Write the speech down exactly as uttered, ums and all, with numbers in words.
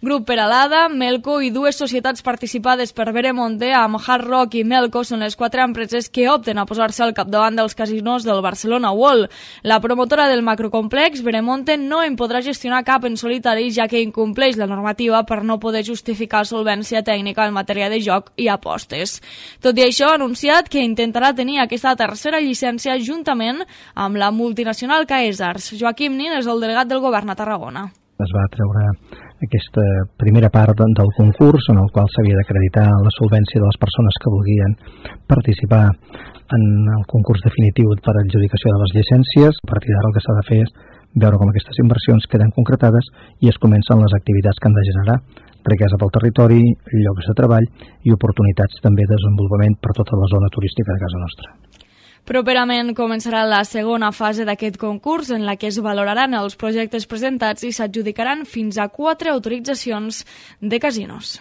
Grup Peralada, Melco i dues societats participades per Veremonte amb Hard Rock i Melco són les quatre empreses que opten a posar-se al capdavant dels casinos del Barcelona World. La promotora del macrocomplex, Veremonte, no en podrà gestionar cap en solitari, ja que incompleix la normativa per no poder justificar solvència tècnica en matèria de joc i apostes. Tot i això, ha anunciat que intentarà tenir aquesta tercera llicència juntament amb la multinacional Caesars. Joaquim Nin és el delegat del govern a Tarragona. Es va treure aquesta primera part del concurs en el qual s'havia d'acreditar la solvència de les persones que volien participar en el concurs definitiu per adjudicació de les llicències. A partir d'ara el que s'ha de fer és veure com aquestes inversions queden concretades i es comencen les activitats que han de generar riquesa pel territori, llocs de treball i oportunitats també de desenvolupament per tota la zona turística de casa nostra. Properament començarà la segona fase d'aquest concurs en la que es valoraran els projectes presentats i s'adjudicaran fins a quatre autoritzacions de casinos.